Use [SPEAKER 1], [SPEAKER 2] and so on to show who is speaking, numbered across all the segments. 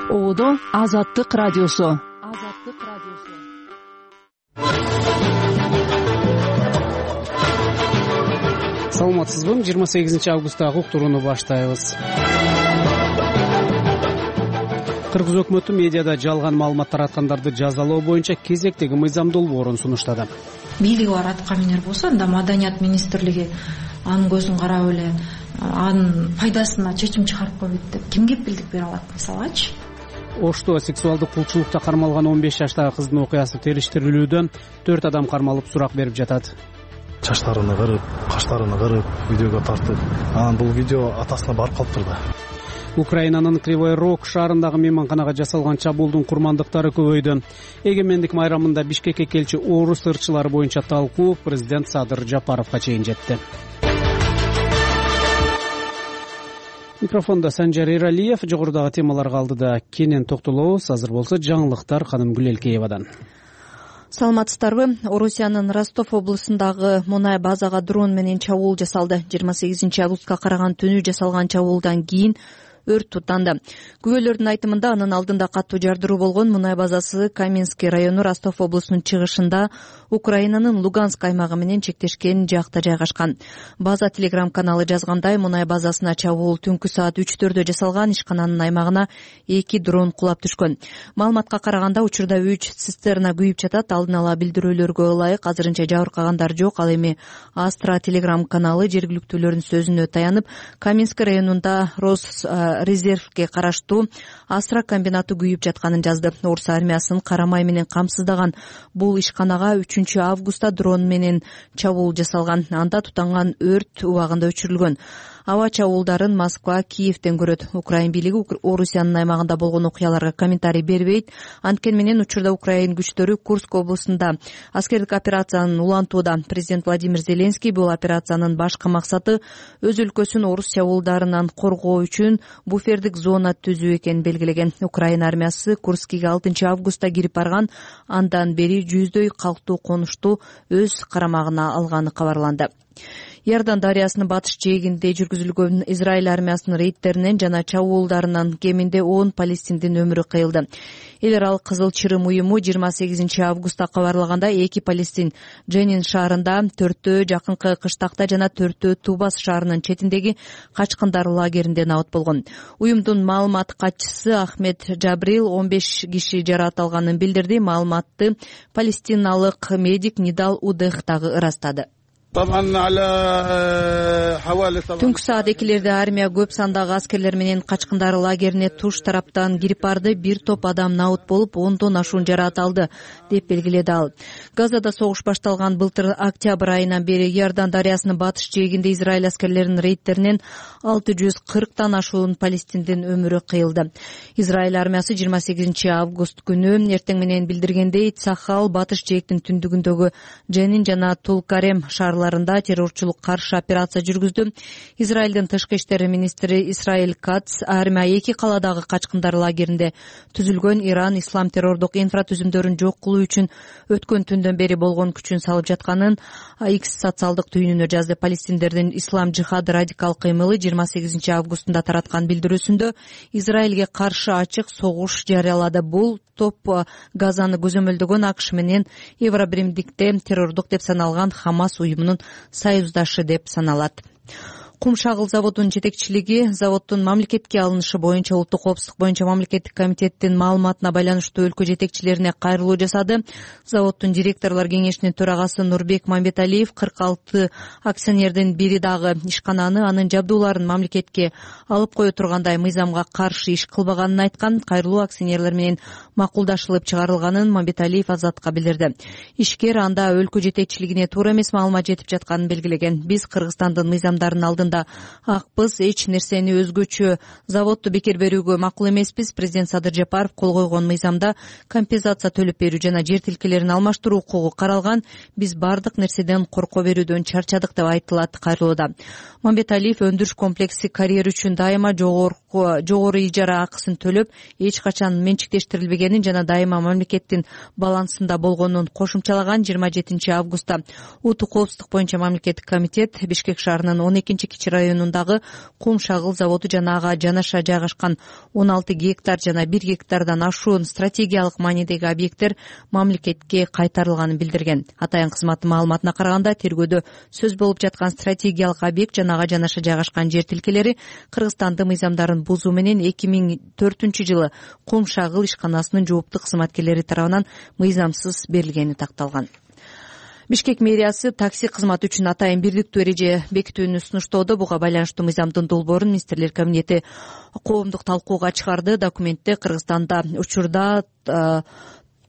[SPEAKER 1] Оодо Азаттык радиосу.
[SPEAKER 2] Саламатсызбы? 28 августтагы уктурууну баштайбыз. Кыргыз өкмөтү медиада жалган маалымат тараткандарды жазалоо боюнча кезектеги мыйзам долбоорун сунуштады.
[SPEAKER 3] Бийлиги бар аткаминер болсо, анда Маданият министрлиги анын көзүн карап эле анын пайдасына чечим чыгарып койбойт деп ким кепилдик бере алат, мисалычы?
[SPEAKER 2] Ошто сексуалдык кулчулукта кармалган 15 жаштагы кыздын окуясы териштирилүүдө 4 адам кармалып сурак берип жатат.
[SPEAKER 4] Чачтарыны кырып, каштарыны кырып, видеого тартып, анан бул видео атасына барып калыптыр да.
[SPEAKER 2] Украинанын Кривой Рог шаарындагы мейманканага жасалган чабуулдун курмандыктары көбөйдү. Эгемендик майрамында Бишкекке келчү орус ырчылары боюнча талкуу президент Садыр Жапаровго чейин жетти. Микрофондо Санжар Эралиев. Жогорудагы темаларга алдыда кенен токтолобуз. Азыр болсо жаңылыктар Ханым Гүлелкеевадан.
[SPEAKER 5] Саламатсыздарбы? Орусиянын Ростов облусундагы мунай базага дрон менен чабуул жасалды. 28 августка караган түнү жасалган чабуулдан кийин өрт туттанды. Күбөлөрдүн айтымында анын алдында каттуу жардыруу болгон. Мунай базасы Каменский району Ростов облусунун чыгышында Украинанын Луганск аймагы менен чектешкен жакта жайгашкан. База Телеграм каналы жазгандай, мунай базасына чабуул түнкү саат 3-4 жасалган. Ишкананын аймагына 2 дрон кулап түшкөн. Маалыматка караганда учурда 3 цистерна күйүп жатат. Алдын ала билдирүүлөргө ылайык азырынча жабыркагандар жок. Ал эми Астра Телеграм каналы жергиликтүүлөрдүн сөзүнө таянып, Каменский районунда резервге караштуу Астра комбинаты күйүп жатканын жазды. Орус армиясынын карамай менен камсыздаган бул ишканага 3 августта дрон менен чабуул жасалган. Анда тутанган өрт убагында өчүрүлгөн. Аба чабуулдарын Москва, Киевден көрөт. Украин бийлиги Орусиянын аймагында болгон окуяларга комментарий бербейт. Анткени менен учурда Украин күчтөрү Курск облусунда аскердик операцияны улантууда. Президент Владимир Зеленский бул операциянын башкы максаты өз өлкөсүн орус чабуулдарынан коргоо үчүн буфердик зона түзүү экенин белгилеген. Украин армиясы Курскке 6 августта кирип барган. Андан бери жүздөй калктуу конушту өз карамагына алганы кабарланды. Иордан дарыясынын батыш жээгинде жүргүзүлгөн Израиль армиясынын рейдтеринен жана чабуулдарынан кеминде 10 палестиндин өмүрү кыйылды. Эл аралык Кызыл Чырым уюму 28 августта кабарлаганда 2 палестин Дженин шаарында, 4-төө жакынкы кыштакта жана 4-төө Тубас шаарынын четиндеги качкындар лагеринде набыт болгон. Уюмдун маалымат катчысы Ахмед Джабрил 15 киши жаракат алганын билдирди. Маалыматты палестиналык медик Нидал Удех дагы ырастады. Түнкү саат 2-лерде армия көп сандагы аскерлер менен качкындар лагерине туш тараптан кирип барды. Бир топ адам набыт болуп, 10дон ашуун жаракат алды, деп белгиледи ал. Газада согуш башталган былтыр октябрь айынан бери Иордан дарыясынын батыш жээгинде Израиль аскерлеринин рейдтеринен 640тан ашуун палестиндин өмүрү кыйылды. Израиль армиясы 28 август күнү эртең менен билдиргендей, Цахал батыш жээктин түндүгүндөгү Дженин жана Тулкарем шаарларында террорчулук каршы операция жүргүздү. Израилдин тышкы иштер министри Исраиль Кац армия 2 каладагы качкындар лагеринде түзүлгөн Иран ислам террордук инфратүзүмдөрүн жок кылуу үчүн өткөн түндөн бери болгон күчүн салып жатканын X социалдык түйүнүнө жазды. Палестиндердин ислам жихад радикал кыймылы 28 августунда тараткан билдирүүсүндө Израилге каршы ачык согуш жарыялады. Бул топ Газаны көзөмөлдөгөн АКШ менен Евробиримдикте террордук деп саналган Хамас уюмунун союздашы деп саналат. Кум шагыл заводунун жетекчилиги заводдун мамлекетке алынышы боюнча улуттук коопсуздук боюнча мамлекеттик комитеттин маалыматына байланыштуу өлкө жетекчилерине кайрылуу жасады. Заводдун директорлор кеңешинин төрагасы Нурбек Мамбеталиев 46 акционердин бири дагы ишкананы анын жабдууларын мамлекетке алып кое тургандай мыйзамга каршы иш кылбаганын айткан. Кайрылуу акционерлер менен макулдашылып чыгарылганын Мамбеталиев Азатка билдирди. Ишкер анда өлкө жетекчилигине туура эмес маалымат жетип жатканын белгилеген. Биз Кыргызстандын мыйзамдарын алдында акпыз, эч нерсени өзгөчө заводду бекер берүүгө макул эмеспиз. Президент Садыр Жапаров кол койгон мыйзамда компенсация төлөп берүү жана жер тилкелерин алмаштыруу укугу каралган. Биз бардык нерседен корко берүүдөн чарчадык деп айтылат кайрылууда. Мамбеталиев өндүрүш комплекси карьер үчүн дайыма жогору ижара акысын төлөп, эч качан менчиктештирилбегенин жана дайыма мамлекеттин балансында болгонун кошумчалаган. 27 августта улуттук коопсуздук боюнча мамлекеттик комитет Бишкек шаарынын 12 кичи районундагы кум шагыл заводу жана ага жанаша жайгашкан 16 гектар жана 1 гектардан ашуун стратегиялык маанидеги объекттер мамлекетке кайтарылганын билдирген. Атайын кызматтын маалыматына караганда, тергөөдө сөз болуп жаткан стратегиялык объект жана ага жанаша жайгашкан жер тилкелери Кыргызстандын мыйзамдарын бузуу менен 2004-жылы кум шагыл ишканасынын жоопту кызматкерлери тарабынан мыйзамсыз берилгени такталган. Бишкек мэриясы такси кызматы үчүн атайын бирдиктүү эреже бекитүүнү сунуштоодо. Буга байланыштуу мыйзамдын долбоорун Министрлер кабинети коомдук талкууга чыгарды. Документте Кыргызстанда учурда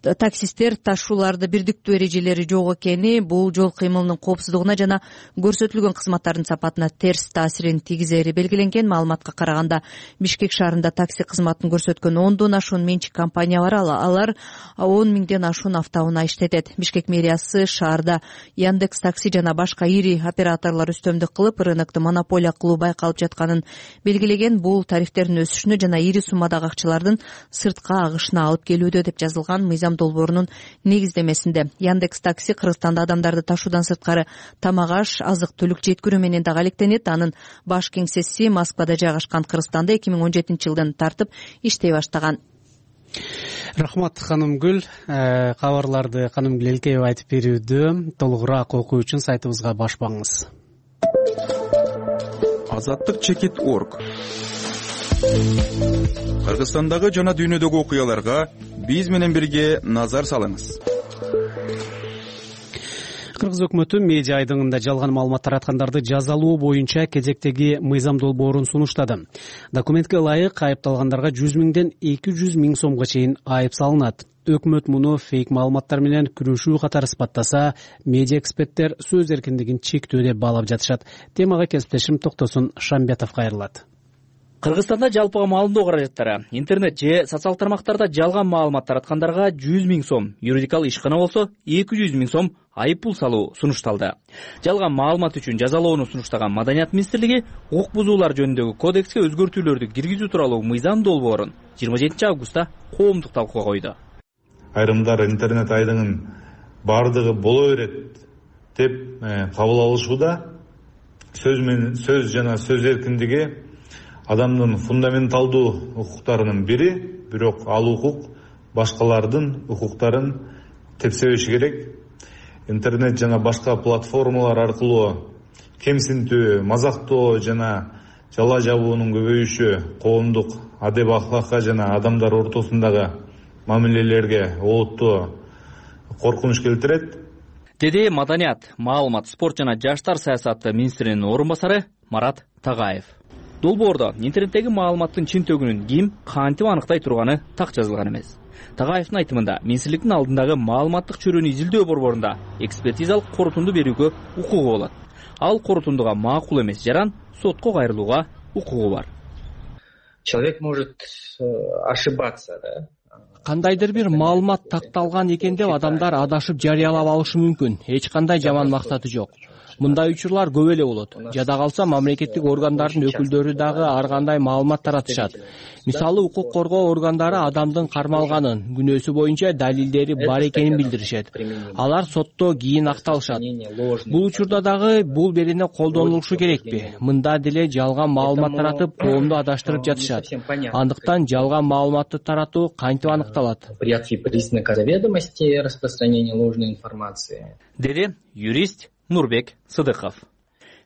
[SPEAKER 5] таксисттер ташууларды бирдиктүү эрежелери жок экени, бул жол кыймылынын коопсуздугуна жана көрсөтүлгөн кызматтардын сапатына терс таасирин тийгизери белгиленген. Маалыматка караганда, Бишкек шаарында такси кызматын көрсөткөн 10дон ашуун менчик компания бар. Алар 10 миңден ашуун автоунаа иштетет. Бишкек мэриясы шаарда Яндекс такси жана башка ири операторлор үстөмдүк кылып, рынокту монополия кылуу байкалып жатканын белгилеген. Бул тарифтердин өсүшүнө жана ири суммадагы акчалардын сыртка агышына алып келүүдө деп жазылган мыйзам долбоорунун негиздемесинде. Яндекс такси Кыргызстанда адамдарды ташуудан сырткары тамак-аш, азык-түлүк жеткирүү менен дагы алектенет. Анын баш кеңсеси Москвада жайгашкан. Кыргызстанда 2017-жылдан тартып иштей баштаган.
[SPEAKER 2] Рахмат Ханымгүл. Кабарларды Ханымгүл Элкеева айтып берүүдө. Толугураак окуу үчүн сайтыбызга баш багыңыз.
[SPEAKER 6] Азаттык.org. Кыргызстандагы жана дүйнөдөгү окуяларга биз менен бирге назар салыңыз.
[SPEAKER 2] Кыргыз өкмөтү медиа айдыңында жалган маалымат тараткандарды жазалоо боюнча кезектеги мыйзам долбоорун сунуштады. Документке ылайык айыпталгандарга 100 миңден 200 миң сомго чейин айып салынат. Өкмөт муну фейк маалыматтар менен күрөшүү катары сыпаттаса, медиа эксперттер сөз эркиндигин чектөө деп баалап жатышат. Темага кесиптешим Токтосун Шамбетов кайрылат.
[SPEAKER 7] Кыргызстанда жалпыга маалымдоо каражаттары интернет же социал тармактарда жалган маалымат тараткандарга 100 миң сом, юридикалык ишкана болсо 200 миң сом айып пул салуу сунушталды. Жалган маалымат үчүн жазалоону сунуштаган Маданият министрлиги укук бузуулар жөнүндөгү кодекске өзгөртүүлөрдү киргизүү тууралуу мыйзам долбоорун 27-августта коомдук талкууга койду.
[SPEAKER 8] Айрымдар интернет айдыңын бардыгы боло берет деп кабыл алышууда сөз жана сөз эркиндиги адамдын фундаменталдуу укуктарынын бири, бирок ал укук башкалардын укуктарын тепсебеши керек. Интернет жана башка платформалар аркылуу кемсинтүү, мазактоо жана жала жабуунун көбөйүшү коомдук адеп ахлакка жана адамдар ортосундагы мамилелерге олуттуу коркунуч келтирет,
[SPEAKER 7] деди Маданият, маалымат, спорт жана жаштар саясаты министринин орун басары Марат Тагаев. Долбоордо интернеттеги маалыматтын чын төгүнүн ким кантип аныктай турганы так жазылган эмес. Тагаевдин айтымында, министрликтин алдындагы маалыматтык чөйрөнү изилдөө борборунда экспертизалык корутунду берүүгө укугу болот. Ал корутундуга макул эмес жаран сотко кайрылууга укугу бар.
[SPEAKER 9] Человек может ошибаться, да?
[SPEAKER 10] Кандайдыр бир маалымат такталган экен деп адамдар адашып жарыялап алышы мүмкүн. Эч кандай жаман максаты жок. Мындай учурлар көп эле болот. Жада калса мамлекеттик органдардын өкүлдөрү дагы ар кандай маалымат таратышат. Мисалы, укук коргоо органдары адамдын кармалганын, күнөөсү боюнча далилдери бар экенин билдиришет. Алар сотто кийин акталышат. Бул учурда дагы бул берене колдонулушу керекпи? Мында деле жалган маалымат таратып, коомду адаштырып жатышат. Андыктан жалган маалыматты таратуу кантип аныкталат?
[SPEAKER 9] Порядки признака заведомости распространения ложной информации.
[SPEAKER 7] Деди юрист Нурбек Сыдыков.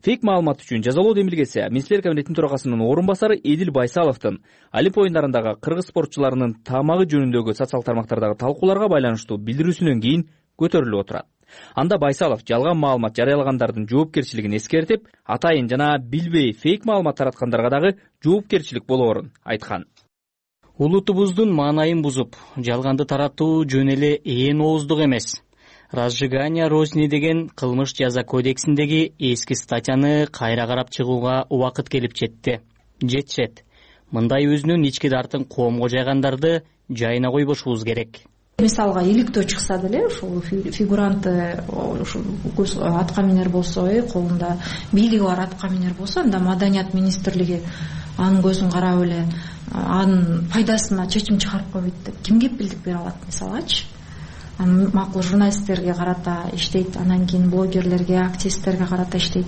[SPEAKER 7] Фейк маалымат үчүн жазалоо демилгеси Министрлер кабинетинин төрагасынын орун басары Эдил Байсаловдун Олимп оюндарындагы кыргыз спортчуларынын тамагы жөнүндөгү социал тармактардагы талкууларга байланыштуу билдирүүсүнөн кийин көтөрүлүп отурат. Анда Байсалов жалган маалымат жарыялагандардын жоопкерчилигин эскертип, атайын жана билбей фейк маалымат тараткандарга дагы жоопкерчилик болоорун айткан.
[SPEAKER 10] Улутубуздун маанайын бузуп, жалганды таратуу жөн эле ээн ооздук эмес. Разжигание розни деген кылмыш жаза кодексиндеги эски статьяны кайра карап чыгууга убакыт келип жетишет. Мындай өзүнүн ички дартын коомго жайгандарды жайына койбошубуз керек.
[SPEAKER 3] Мисалга иликтөө чыкса деле, ушул фигуранты көз атка минер болсо, колунда бийлиги бар атка минер болсо, анда Маданият министрлиги анын көзүн карап эле анын пайдасына чечим чыгарып койбойт деп ким кепилдик бере алат мисалгачы? Макул журналисттерге карата иштейт, анан кийин блогерлерге, активисттерге карата иштейт.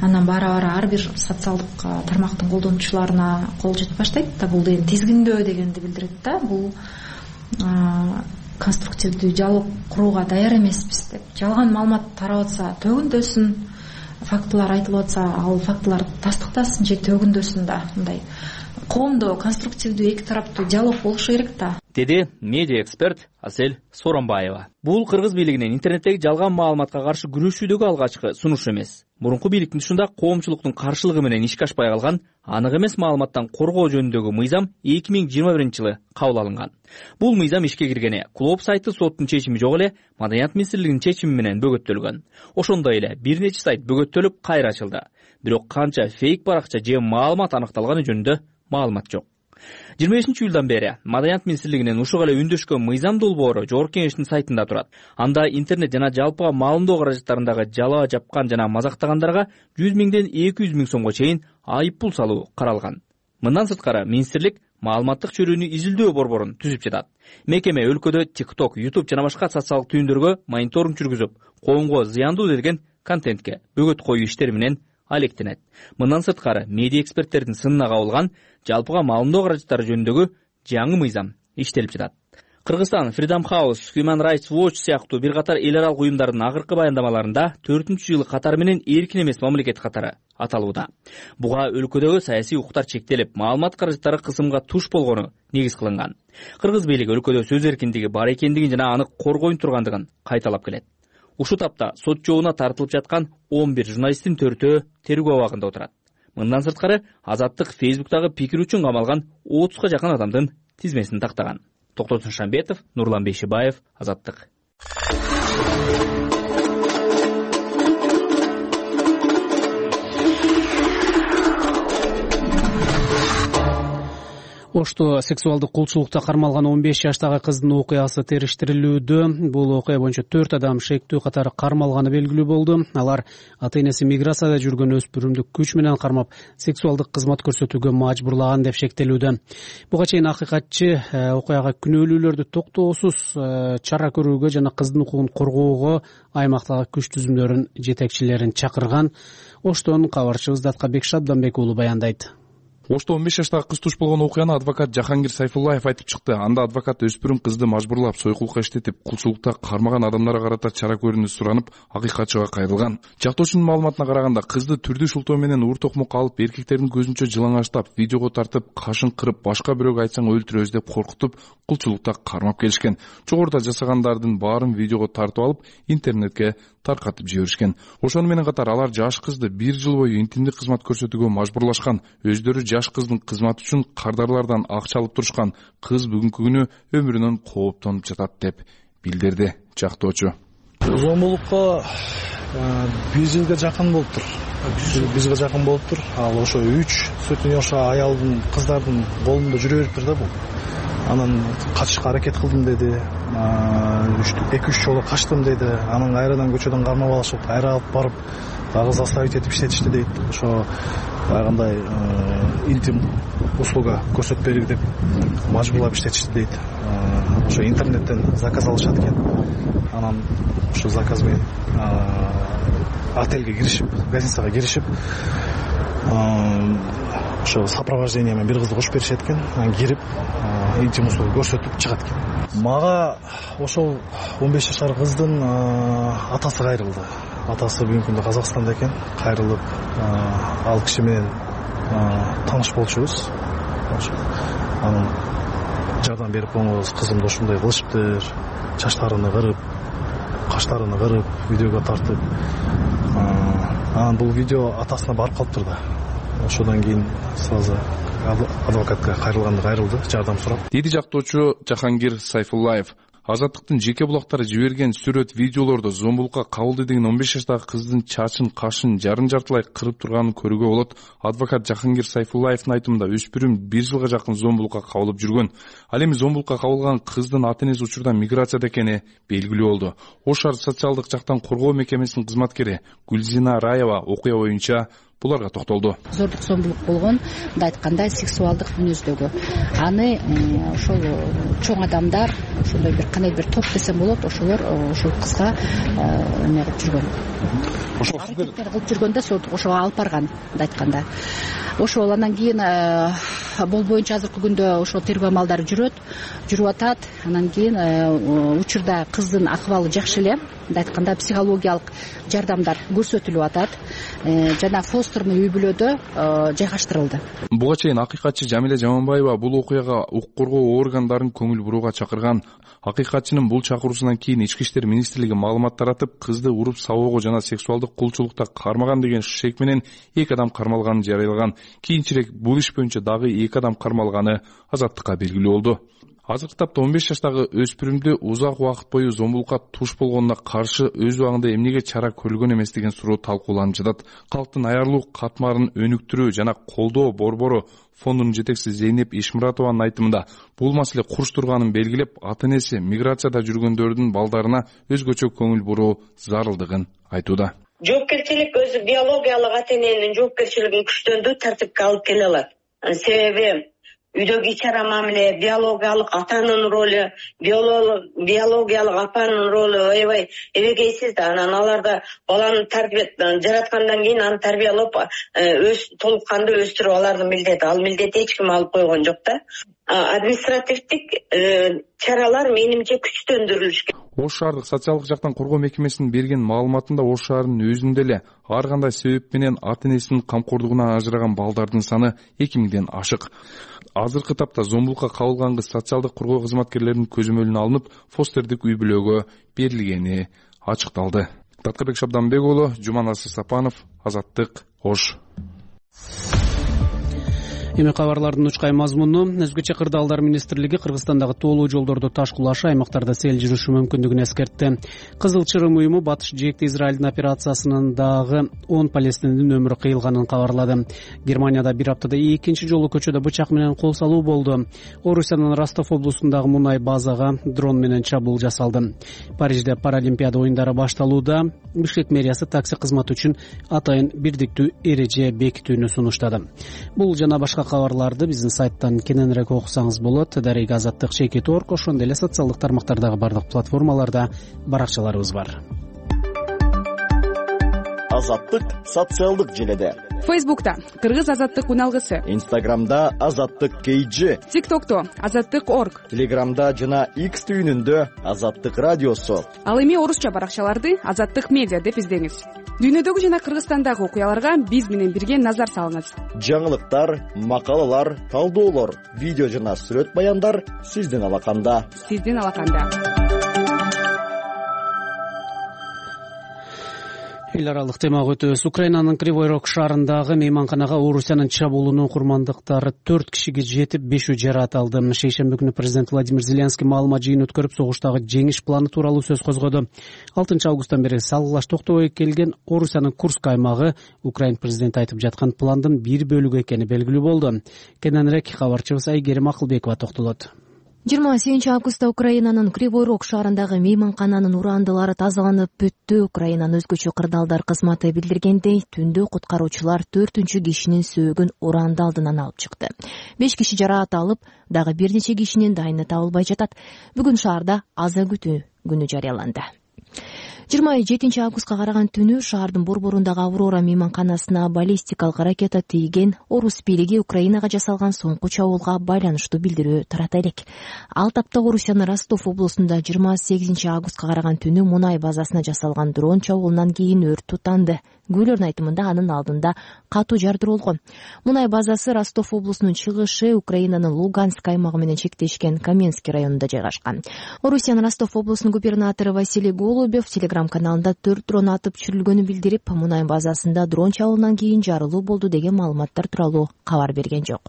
[SPEAKER 3] анан бара ар бир социалдык тармактын колдонуучуларына кол жетип баштайт да. Бул деген тизгиндөө дегенди билдирет да. Бул конструктивдүү диалог курууга даяр эмеспиз деп. Жалган маалымат тарап атса төгүндөсүн, фактылар айтылып атса ал фактылар тастыктасын же төгүндөсүн да. Мындай коомдо конструктивдүү эки тараптуу диалог болушу керек да,
[SPEAKER 7] деди медиа эксперт Асель Соронбаева. Бул кыргыз бийлигинин интернеттеги жалган маалыматка каршы күрөшүүдөгү алгачкы сунушу эмес. Мурунку бийликтин ушунда коомчулуктун каршылыгы менен ишке ашпай калган анык эмес маалыматтан коргоо жөнүндөгү мыйзам 2021-жылы кабыл алынган. Бул мыйзам ишке киргене клуб сайты соттун чечими жок эле Маданият министрлигинин чечими менен бөгөттөлгөн. Ошондой эле бир нече сайт бөгөттөлүп кайра ачылды. Бирок канча фейк баракча же маалымат аныкталганы жөнүндө маалымат жок. 25-июлдан бери Маданият министрлигинин ушуга эле үндөшкөн мыйзам долбоору жогорку кеңештин сайтында турат. Анда интернет жана жалпыга маалымдоо каражаттарындагы жалаа жапкан жана мазактагандарга 100 миңден 200 миң сомго чейин айып пул салуу каралган. Мындан сырткары министрлик маалыматтык чөрүүнү изилдөө борборун түзүп жатат. Мекеме өлкөдө TikTok, YouTube жана башка социалдык түйүндөргө мониторинг жүргүзүп, коомго зыяндуу делген контентке бөгөт коюу иштери менен алектенет. Мындан сырткары медиа эксперттердин сынына кабылган жалпыга маалымдоо каражаттары жөнүндөгү жаңы мыйзам иштелип жатат. Кыргызстан Freedom House, Human Rights Watch сыяктуу бир катар эл аралык уюмдардын акыркы баяндамаларында 4-жылы катары менен эркин эмес мамлекет катары аталууда. Буга өлкөдөгү саясий укуктар чектелип, маалымат каражаттары кысымга туш болгону негиз кылынган. Кыргыз бийлиги өлкөдө сөз эркиндиги бар экендигин жана аны коргойн тургандыгын кайталап келет. Ушу тапта сот жообуна тартылып жаткан 11 журналисттин 4-өө тергөө абагында отурат. Мындан сырткары Азаттык Фейсбуктагы пикир үчүн камалган 30га жакын адамдын тизмесин тактаган. Токтосун Шамбетов, Нурлан Бейшибаев, Азаттык.
[SPEAKER 2] Ошто сексуалдык кулчулукта кармалган 15 жаштагы кыздын окуясы териштирилүүдө. Бул окуя боюнча 4 адам шектүү катары кармалганы белгилүү болду. Алар ата-энеси миграцияда жүргөн өспүрүмдү күч менен кармап, сексуалдык кызмат көрсөтүүгө мажбурлаган деп шектелүүдө. Буга чейин акыйкатчы окуяга күнөөлүүлөрдү токтоосуз чара көрүүгө жана кыздын укугун коргоого аймактагы күч түзүмдөрүнүн жетекчилерин чакырган. Оштон кабарчыбыз Даткабек Шабданбек уулу баяндайт.
[SPEAKER 11] Ошто 15 жаштагы кыз туш болгон окуяны адвокат Жахангир Сайфуллаев айтып чыкты. Анда адвокат өспүрүм кызды мажбурлап, сойкулукка иштетип, кулчулукта кармаган адамдарга карата чара көрүүнү суранып, акыйкатчыга кайрылган. Жактоочунун маалыматына караганда, кызды түрдүү шултоо менен уур токмокко алып, эркектердин көзүнчө жылаңачтап, видеого тартып, кашын кырып, башка бирөөгө айтсаң өлтүрөбүз деп коркутуп, кулчулукта кармап келишкен. Жогоруда жасагандардын баарын видеого тартып алып, интернетке таркатып жиберишкен. Ошону менен катар алар жаш кызды 1 жыл бою интимдик кызмат көрсөтүүгө мажбурлашкан. Өздөрү жаш кыздын кызматы үчүн кардарлардан акча алып турушкан. Кыз бүгүнкү күнү өмүрүнөн кооптонуп жатат деп билдирди жактоочу.
[SPEAKER 4] Зомбулукка 1 жылга жакын болуптур. 1 жылга жакын болуптур. Ал ошо 3 сотнёша аялдын, кыздардын колунда жүрө бериптир да бул. Анан качышка аракет кылдым деди. 2-3 жолу качтым деди. Анан кайрадан көчөдөн кармап алышып, кайра алып барып, дагы заставить этип иштетишти дейт. Ошо кандай интим услуга көрсөтпөлүк деп мажбурлап иштетишти дейт. Ошо интернеттен заказ алышат экен. Анан ошо заказ менен отельге киришип, гостиницага киришип, ошо сопровождение менен бир кызды кошуп беришет экен. Анан кирип, интим услуга көрсөтүп чыгат экен. Мага ошол 15 жашар кыздын атасы кайрылды. Атасы бүгүнкү күндө Казакстанда экен. Кайрылып, ал киши менен тааныш болчубуз. Анан жардам берип коңуз, кызымды ушундай кылышыптыр, чачтарыны кырып, каштарыны кырып, видеого тартып. Анан бул видео атасына барып калыптыр да. Ошодан кийин сразу адвокатка кайрылды, жардам сурап.
[SPEAKER 11] Деди жактоочу Жахангир Сайфуллаев. Азаттыктын жеке булактары жиберген сүрөт видеолордо зомбулукка кабылды деген 15 жаштагы кыздын чачын, кашын жартылай кырып турганын көрүүгө болот. Адвокат Жахангир Сайфуллаевдин айтымында өспүрүм 1 жылга жакын зомбулукка кабылып жүргөн. Ал эми зомбулукка кабылган кыздын ата-энеси учурда миграцияда экени белгилүү болду. Ош шаар социалдык жактан коргоо мекемесинин кызматкери Гүлзина Раева окуя боюнча буларга токтолду.
[SPEAKER 12] Зордук зомбулук болгон, мындай айтканда сексуалдык мүнөздөгү. Аны ошол чоң адамдар, ошондой бир кандай бир топ десем болот, ошолор ошол кызга эме кылып жүргөн.
[SPEAKER 11] Ошол
[SPEAKER 12] аракеттер кылып жүргөндө ошого алып барган, мындай айтканда. Ошол анан кийин бул боюнча азыркы күндө ошол тергөө амалдары жүрүп атат. Анан кийин учурда кыздын акыбалы жакшы эле, мындай айтканда психологиялык жардамдар көрсөтүлүп атат. Жана фостерный үй бүлөдө жайгаштырылды.
[SPEAKER 11] Буга чейин акыйкатчы Жамиле Жаманбаева бул окуяга укук коргоо органдарын көңүл бурууга чакырган. Акыйкатчынын бул чакыруусунан кийин Ички иштер министрлиги маалымат таратып, кызды уруп сабоого жана сексуалдык кулчулукта кармаган деген шек менен 2 адам кармалганын жарыялаган. Кийинчерээк бул иш боюнча дагы 2 адам кармалганы Азаттыкка белгилүү болду. Азыркы тапта 15 жаштагы өспүрүмдү узак убакыт бою зомбулукка туш болгонуна каршы өз убагында эмнеге чара көрүлгөн эмес деген суроо талкууланып жатат. Калктын аярлуу катмарын өнүктүрүү жана колдоо борбору фондунун жетекчиси Зейнеп Ишмуратованын айтымында бул маселе курч турганын белгилеп, ата-энеси миграцияда жүргөндөрдүн балдарына өзгөчө көңүл буруу зарылдыгын айтууда.
[SPEAKER 13] Жоопкерчилик өзү биологиялык ата-эненин жоопкерчилигин күчтөндүрүү тартипке алып келе алат. Себеби үйдөгү ич-ара мамиле, биологиялык атанын ролу, биологиялык апанын ролу аябай эбегейсиз да. Анан аларда баланы жараткандан кийин аны тарбиялап толук кандуу өстүрүп алардын милдети. Ал милдетти эч ким алып койгон жок да. Административдик чаралар менимче күчтөндүрүлүш керек.
[SPEAKER 11] Ош шаардык социалдык жактан коргоо мекемесинин берген маалыматында Ош шаарынын өзүндө эле ар кандай себеп менен ата-энесинин камкордугунан ажыраган балдардын саны 2000ден ашык. Азыркы тапта зомбулукка кабылган кыз социалдык коргоо кызматкерлеринин көзөмөлүнө алынып, фостердик үй бүлөгө берилгени ачыкталды. Таткарбек Шабданбек уулу, Жуманасы Сапанов, Азаттык, Ош.
[SPEAKER 2] Эми кабарлардын учкай мазмуну. Өзгөчө кырдаалдар министрлиги Кыргызстандагы тоолуу жолдордо таш кулашы, аймактарда сел жүрүшү мүмкүндүгүн эскертти. Кызыл Чырым уюму Батыш жээкте Израилдин операциясынын дагы 10 палестиндин өмүрү кыйылганын кабарлады. Германияда бир аптада 2 жолу көчөдө бычак менен кол салуу болду. Орусиянын Ростов облусундагы мунай базага дрон менен чабуул жасалды. Парижде Паралимпиада оюндары башталууда. Бишкек мэриясы такси кызматы үчүн атайын бирдиктүү эреже бекитүүнү сунуштады. Бул жана башка кабарларды биздин сайттан кененирээк окусаңыз болот. Дарыга Азаттык Чекит.org, ошондой эле социалдык тармактардагы бардык платформаларда баракчаларыбыз бар.
[SPEAKER 14] Азаттык социалдык желеде.
[SPEAKER 1] Фейсбукта Кыргыз Азаттык уналгысы.
[SPEAKER 14] Инстаграмда Азаттык KG.
[SPEAKER 1] ТикТокто Азаттык.org.
[SPEAKER 14] Телеграмда жана X түйүнүндө Азаттык радиосу.
[SPEAKER 1] Ал эми орусча баракчаларды Азаттык медиа деп издеңиз. Дүйнөдөгү жана Кыргызстандагы окуяларга биз менен бирге назар салыңыз.
[SPEAKER 14] Жаңылыктар, макалалар, талдоолор, видео жана сүрөт баяндар сиздин алаканда.
[SPEAKER 2] Эл аралык темага өтөбүз. Украинанын Кривой Рог шаарындагы мейманканага Орусиянын чабуулунун курмандыктары 4 кишиге жетип, 5 жаракат алды. Шейшемби күнү президент Владимир Зеленский маалымат жыйын өткөрүп, согуштагы жеңиш планы тууралуу сөз козгоду. 6 августтан бери салгылаш токтобой келген Орусиянын Курск аймагы Украин президенти айтып жаткан пландын бир бөлүгү экени белгилүү болду. Кененирээк кабарчыбыз Айгерим Акылбекова токтолот.
[SPEAKER 5] 28 августта Украинанын Кривой Рог шаарындагы мейманкананын урандылары тазаланып бүттү. Украинанын өзгөчө кырдаалдар кызматы билдиргендей, түндө куткаруучулар 4-үнчү кишинин сөөгүн уранды алдынан алып чыкты. 5 киши жаракат алып, дагы бир нече кишинин дайыны табылбай жатат. Бүгүн шаарда аза күтүү күнү жарыяланды. 27 августка караган түнү шаардын борборундагы Аврора мейманканасына баллистикалык ракета тийген. Орус бийлиги Украинага жасалган соңку чабуулга байланыштуу билдирүү тарата элек. Ал тапта Орусиянын Ростов облусунда 28 августка караган түнү мунай базасына жасалган дрон чабуулунан кийин өрт тутанды. Күйлөрдүн айтымында анын алдында катуу жардыруу болгон. Мунай базасы Ростов облусунун чыгышы Украинанын Луганск аймагы менен чектешкен Каменский районунда жайгашкан. Орусиянын Ростов облусунун губернатору Василий Голубев телеграм-каналында 4 дрон атып түшүрүлгөнү билдирип, мунай базасында дрон чабуулунан кийин жарылуу болду деген маалыматтар тууралуу кабар берген жок.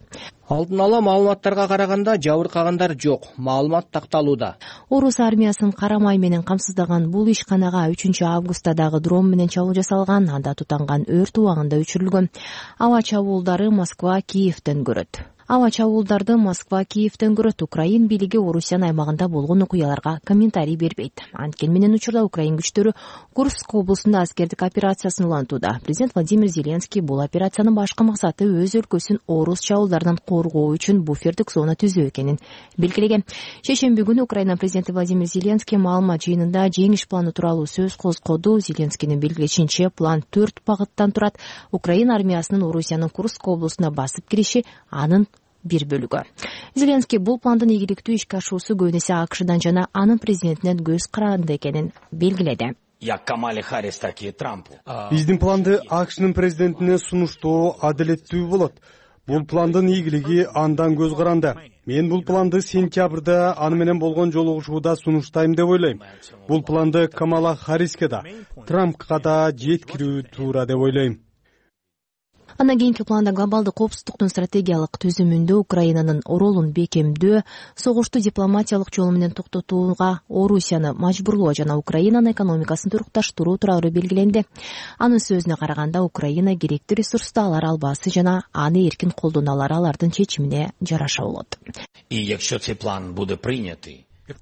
[SPEAKER 10] Алдын ала маалыматтарга караганда жабыркагандар жок. Маалымат такталууда.
[SPEAKER 5] Орус армиясын карамай менен камсыздаган бул ишканага 3 августтагы дрон менен чабуул жасалган. Анда тутанган өрт убагында өчүрүлгөн. Аба чабуулдары Москва, Киевден көрөт.
[SPEAKER 15] Аба чабуулдарды Москва Киевден көрөт. Украин бийлиги Орусиянын аймагында болгон окуяларга комментарий бербейт. Анткени менен учурда Украин күчтөрү Курск облусунда аскердик операциясын улантууда. Президент Владимир Зеленский бул операциянын башкы максаты өз өлкөсүн орус чабуулдарынан коргоо үчүн буфердик зона түзүү экенин белгилеген. Шейшемби күнү Украина президенти Владимир Зеленский маалымат жыйынында жеңиш планы тууралуу сөз козгоду. Зеленскийдин белгилешинче, план 4 багыттан турат. Украин армиясынын Орусиянын Курск облусуна басып кириши анын бир бөлүгү. Зеленский бул пландын ийгиликтүү ишке ашуусу көбүн эсе АКШдан жана анын президентинен көз каранды экенин белгиледи.
[SPEAKER 16] Биздин планды АКШнын президентине сунуштоо адилеттүү болот. Бул пландын ийгилиги андан көз каранды. Мен бул планды сентябрда аны менен болгон жолугушууда сунуштайм деп ойлойм. Бул планды Камала Харриске да, Трампка да жеткирүү туура деп ойлойм.
[SPEAKER 15] Андан кийинки планда глобалдык коопсуздуктун стратегиялык түзүмүндө Украинанын ролун бекемдөө, согушту дипломатиялык жол менен токтотууга Орусияны мажбурлоо жана Украинанын экономикасын турукташтыруу тууралуу белгиленди. Анын сөзүнө караганда, Украина керектүү ресурсту алар албасы жана аны эркин колдоналары алардын чечимине жараша болот.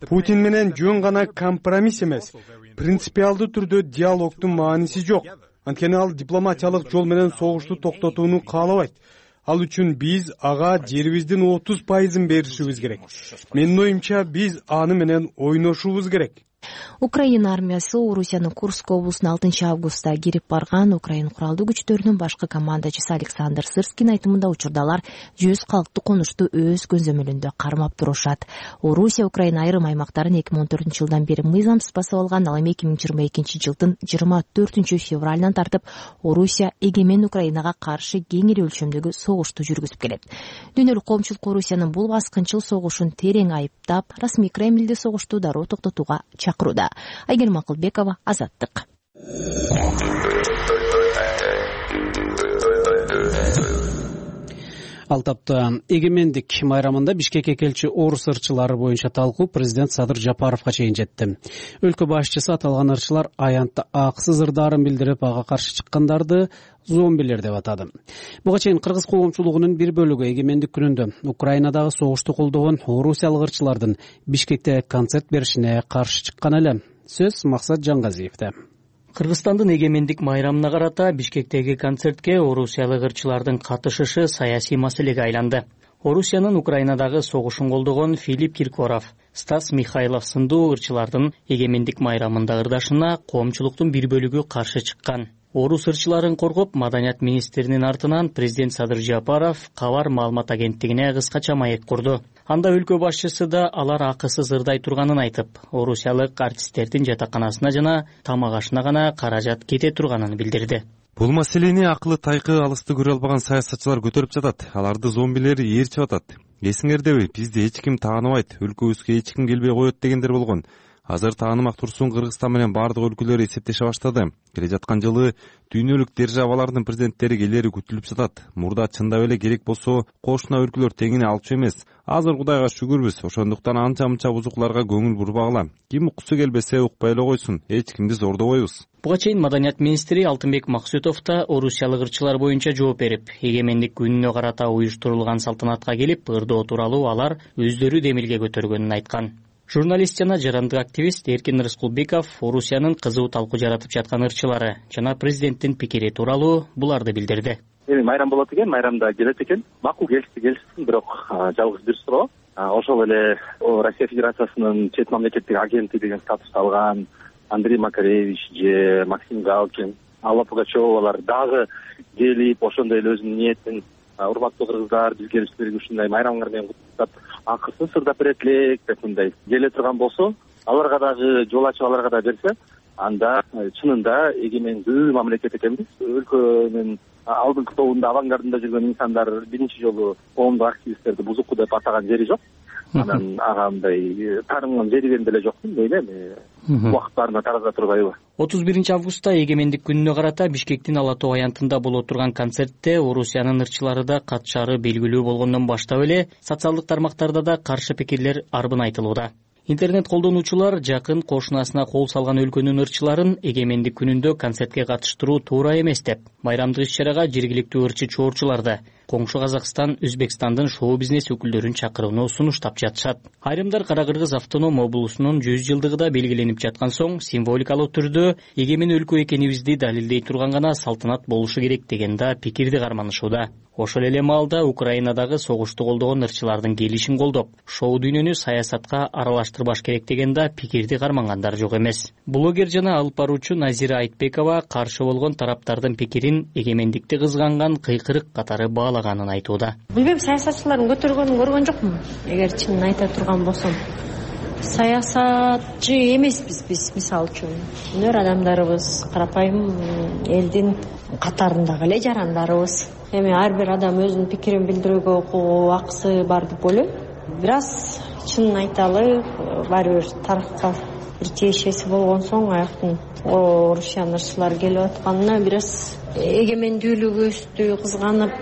[SPEAKER 16] Путин менен жөн гана компромисс эмес, принципиалдуу түрдө диалогдун мааниси жок. Анткени ал дипломатиялык жол менен согушту токтотууну каалабайт. Ал үчүн биз ага жерибиздин 30% беришибиз керек. Менин оюмча, биз аны менен ойношубуз керек.
[SPEAKER 15] Украина армиясы Орусиянын Курск облусуна 6 августта кирип барган. Украин куралдуу күчтөрүнүн башкы командачысы Александр Сырскийдин айтымында, учурдалар 100 калктуу конушту өз көзөмөлүндө кармап турушат. Орусия Украина айрым аймактарын 2014 жылдан бери мыйзамсыз басып алган. Ал эми 2022 жылдын 24 февралынан тартып Орусия эгемен Украинага каршы кеңири өлчөмдөгү согушту жүргүзүп келет. Дүйнөлүк коомчулук Орусиянын бул баскынчыл согушун терең айыптап, расмий Кремлди согушту дароо токтотууга чакырууда. Айгерим Акылбекова, Азаттык.
[SPEAKER 2] Ал тапта эгемендик майрамында Бишкекке келчү орус ырчылары боюнча талкуу президент Садыр Жапаровго чейин жетти. Өлкө башчысы аталган ырчылар аянтта аксыз ырдаарын билдирип, ага каршы чыккандарды зомбилер деп атады. Буга чейин кыргыз коомчулугунун бир бөлүгү эгемендик күнүндө Украинадагы согушту колдогон орусиялык ырчылардын Бишкекте концерт беришине каршы чыккан эле. Сөз Максат Жангазиевде.
[SPEAKER 7] Кыргызстандын эгемендик майрамына карата Бишкектеги концертке орусиялык ырчылардын катышышы саясий маселеге айланды. Орусиянын Украинадагы согушун колдогон Филипп Киркоров, Стас Михайлов сындуу ырчылардын эгемендик майрамында ырдашына коомчулуктун бир бөлүгү каршы чыккан. Орус ырчыларын коргоп, маданият министринин артынан президент Садыр Жапаров кабар маалымат агенттигине кыскача маек курду. Анда өлкө башчысы да алар акысыз ырдай турганын айтып, орусиялык артисттердин жатаканасына жана тамак ашына гана каражат кете турганын билдирди.
[SPEAKER 17] Бул маселени акылы тайкы алысты көрө албаган саясатчылар көтөрүп жатат. Аларды зомбилер ээрчип атат. Эсиңердеби, бизди эч ким тааныбайт, өлкөбүзгө эч ким келбей коет дегендер болгон. Азыр таанымак турсун Кыргызстан менен бардык өлкөлөр эсептеше баштады. Келе жаткан жылы дүйнөлүк державалардын президенттери келери күтүлүп жатат. Мурда чындап эле керек болсо кошуна өлкөлөр теңине алчу эмес. Азыр Кудайга шүгүрбүз, ошондуктан анча-мынча бузукларга көңүл бурбагыла. Ким уккусу келбесе укпай эле койсун, эч кимди зордобойбуз.
[SPEAKER 7] Буга чейин маданият министри Алтынбек Максутов да орусиялык ырчылар боюнча жооп берип, эгемендик күнүнө карата уюштурулган салтанатка келип, ырдоо тууралуу алар өздөрү демилге көтөргөнүн айткан. Журналист жана жарандык активист Эркин Рыскулбеков Орусиянын кызуу талкуу жаратып жаткан ырчылары жана президенттин пикири тууралуу буларды билдирди.
[SPEAKER 18] Майрам болот экен, майрамда келет экен. Макул келишсин, бирок жалгыз бир суроо. Ошол эле Россия Федерациясынын чет мамлекеттик агенти деген статус алган Андрей Макаревич же Максим Галкин, Алла Пугачевалар дагы келип, ошондой эле өзүнүн ниетин урматтуу кыргыздар, бизге силерге ушундай майрамыңар менен куттуктап, акысыз ырдап берет элек деп мындай келе турган болсо, аларга дагы жол ачып аларга да берсе, анда чынында эгемендүү мамлекет экенбиз. Өлкөнүн алдыңкы тобунда, авангардында жүргөн инсандар биринчи жолу коомдук активисттерди бузуку деп атаган жери жок. Анан ага мындай таарынган жери деле жок дейм эми. Убактарына тараза турбайбы.
[SPEAKER 7] 31 августта эгемендик күнүнө карата Бишкектин Ала Тоо аянтында боло турган концертте Орусиянын ырчылары да катышары белгилүү болгондон баштап эле социалдык тармактарда да каршы пикирлер арбын айтылууда. Интернет колдонуучулар жакын кошунасына кол салган өлкөнүн ырчыларын эгемендик күнүндө концертке катыштыруу туура эмес деп, майрамдык иш-чарага жергиликтүү ырчы чоорчуларды,
[SPEAKER 19] коңшу Казакстан Өзбекстандын шоу-бизнес өкүлдөрүн чакырууну сунуштап жатышат. Айрымдар Кара Кыргыз автоном облусунун 100 жылдыгы да белгиленип жаткан соң символикалык түрдө эгемен өлкө экенибизди далилдей турган гана салтанат болушу керек деген да пикирди карманышууда. Ошол эле маалда Украинадагы согушту колдогон ырчылардын келишин колдоп, шоу дүйнөнү саясатка аралаштырбаш керек деген да пикирди кармангандар жок эмес. Блогер жана алып баруучу Назира Айтбекова каршы болгон тараптардын пикирин эгемендикти кызганган кыйкырык катары баалаганын айтууда.
[SPEAKER 20] Билбейм, саясатчылардын көтөргөнүн көргөн жокмун. Эгер чынын айта турган болсом, саясатчы эмеспиз биз, мисалы үчүн. Өнөр адамдарыбыз, карапайым элдин катарындагы эле жарандарыбыз. Эми ар бир адам өзүнүн пикирин билдирүүгө укугу, акысы бар деп ойлойм. Бирок чынын айталы, баары бир тарыхка бир тиешеси болгон соң аяктын Орусиянын ырчылары келип атканына бир аз эгемендүүлүгүбүздү кызганып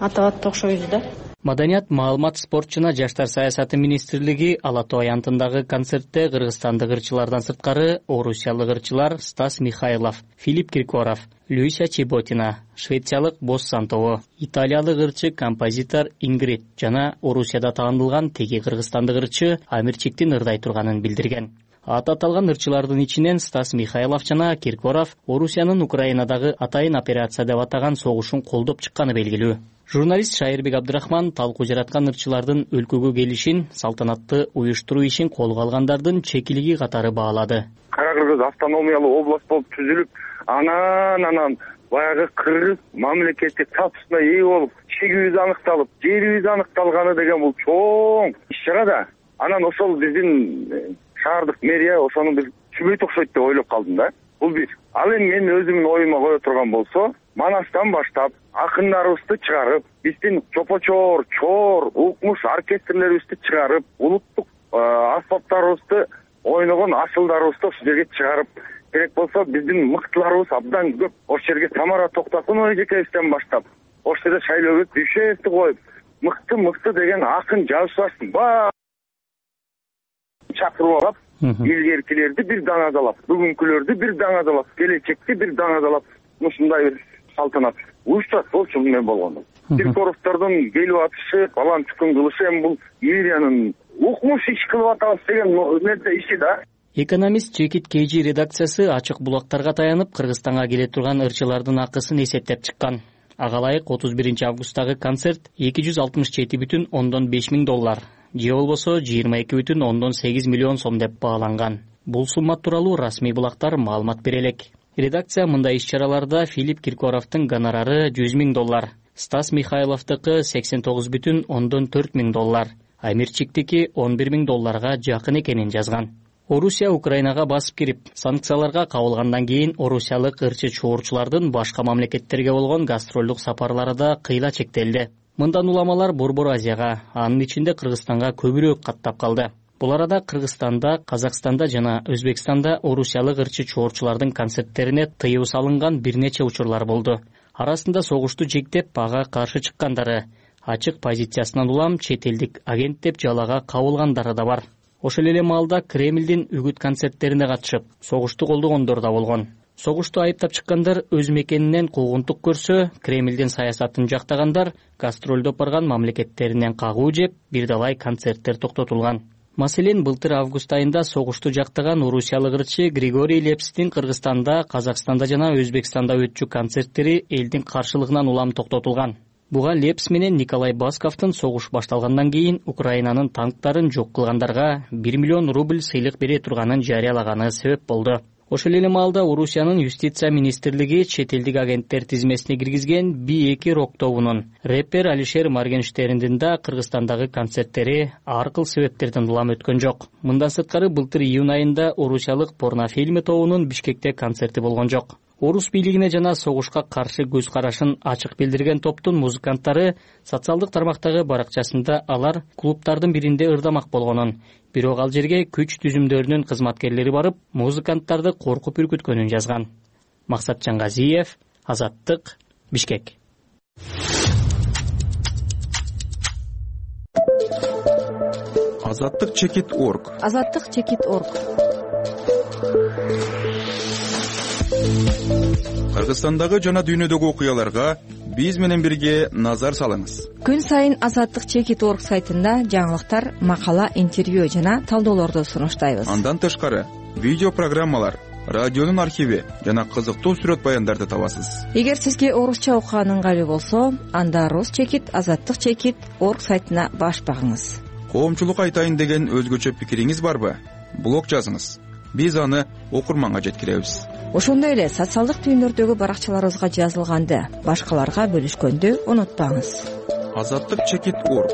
[SPEAKER 20] атап окшойбуз да.
[SPEAKER 19] Маданият, маалымат, спорт жана жаштар саясаты министрлиги Ала Тоо аянтындагы концертте кыргызстандык ырчылардан сырткары орусиялык ырчылар Стас Михайлов, Филипп Киркоров, Люся Чеботина, швециялык Босс Сантоо, италиялык ырчы композитор Ингрид жана Орусияда таанылган теги кыргызстандык ырчы Амирчиктин ырдай турганын билдирген. Аты аталган ырчылардын ичинен Стас Михайлов жана Киркоров Орусиянын Украинадагы атайын операция деп атаган согушун колдоп чыкканы белгилүү. Журналист Шайырбек Абдрахман талкуу жараткан ырчылардын өлкөгө келишин, салтанатты уюштуруу ишин колго алгандардын чекилиги катары баалады.
[SPEAKER 21] Кара Кыргыз автономиялуу область болуп түзүлүп, анан баягы кыргыз мамлекеттик статусуна ээ болуп, чегибиз аныкталып, жерибиз аныкталганы деген бул чоң иш-чара да. Анан ошол биздин шаардык мэрия ошону бир түбөйт окшойт деп ойлоп калдым да. Бул бир. Ал эми мен өзүмдүн оюма кое турган болсо, Манастан баштап акындарыбызды чыгарып, биздин чопочор, чор, укмуш оркестрлерибизди чыгарып, улуттук аспаптарыбызды ойногон асылдарыбызды ошол жерге чыгарып, керек болсо биздин мыктыларыбыз абдан көп. Ошол жерге Тамара Токтокунова эжекебизден баштап, ошол жерде Шайлообек Дүйшеевди коюп, мыкты деген акын жазуучуларды баары чакырып алып, илгеркилерди бир даңазалап, бүгүнкүлөрдү бир даңазалап, келечекти бир даңазалап, ушундай бир салтанат уюштурат болчу мен болгондо. Киркоровдордун келип атышы, балан чукун кылышы эми бул мэриянын укмуш иш кылып атабыз деген нерсе иши да.
[SPEAKER 19] Экономист Жекит Кейжи редакциясы ачык булактарга таянып Кыргызстанга келе турган ырчылардын акысын эсептеп чыккан. Ага ылайык 31 августтагы концерт $267,5 миң, же болбосо 22,8 миллион сом деп бааланган. Бул сумма тууралуу расмий булактар маалымат бере элек. Редакция мындай иш-чараларда Филипп Киркоровдун гонорары $100 миң, Стас Михайловдуку $89,4 миң, Амирчиктики $11 миң жакын экенин жазган. Орусия Украинага басып кирип, санкцияларга кабылгандан кийин орусиялык ырчы чуурчулардын башка мамлекеттерге болгон гастролдук сапарлары да кыйла чектелди. Мындан уламалар Борбор Азияга, анын ичинде Кыргызстанга көбүрөөк каттап калды. Бул арада Кыргызстанда, Казакстанда жана Өзбекстанда орусиялык ырчы чуурчулардын концерттерине тыюу салынган бир нече учурлар болду. Арасында согушту жектеп, ага каршы чыккандары, ачык позициясынан улам чет элдик агент деп жалага кабылгандары да бар. Ошол эле маалда Кремлдин үгүт концерттерине катышып, согушту колдогондор да болгон. Согушту айыптап чыккандар өз мекенинен куугунтук көрсө, Кремлдин саясатын жактагандар гастролдоп барган мамлекеттеринен кагуу жеп, бир далай концерттер токтотулган. Маселен, былтыр август айында согушту жактаган орусиялык ырчы Григорий Лепстин Кыргызстанда, Казакстанда жана Өзбекстанда өтчү концерттери элдин каршылыгынан улам токтотулган. Буга Лепс менен Николай Басковдун согуш башталгандан кийин Украинанын танктарын жок кылгандарга 1 миллион рубль сыйлык бере турганын жарыялаганы себеп болду. Ошол эле маалда Орусиянын юстиция министрлиги чет элдик агенттер тизмесине киргизген B2 рок тобунун рэпер Алишер Моргенштерндин да Кыргызстандагы концерттери ар кыл себептерден улам өткөн жок. Мындан сырткары былтыр июнь айында орусиялык порнофильм тобунун Бишкекте концерти болгон жок. Орус бийлигине жана согушка каршы көз карашын ачык билдирген топтун музыканттары социалдык тармактагы баракчасында алар клубтардын биринде ырдамак болгонун, бирок ал жерге күч түзүмдөрүнүн кызматкерлери барып, музыканттарды коркуп үркүткөнүн жазган. Максат Жаңгазиев, Азаттык, Бишкек.
[SPEAKER 6] Азаттык.org.
[SPEAKER 15] Азаттык.org.
[SPEAKER 6] Кыргызстандагы жана дүйнөдөгү окуяларга биз менен бирге назар салыңыз.
[SPEAKER 5] Күн сайын Азаттык чекит орг сайтында жаңылыктар, макала, интервью жана талдоолорду сунуштайбыз.
[SPEAKER 6] Андан тышкары видео программалар, радионун архиви жана кызыктуу сүрөт баяндарды табасыз.
[SPEAKER 5] Эгер сизге орусча окуган ыңгайлуу болсо, анда Рус чекит, Азаттык чекит орг сайтына баш багыңыз.
[SPEAKER 6] Коомчулук айтайын деген өзгөчө пикириңиз барбы? Блог жазыңыз. Биз аны окурманга жеткиребиз.
[SPEAKER 5] Ошондой эле социалдык түйүндөрдөгү баракчаларыбызга жазылганды башкаларга бөлүшкөндү унутпаңыз.
[SPEAKER 6] Азаттык чекит орг.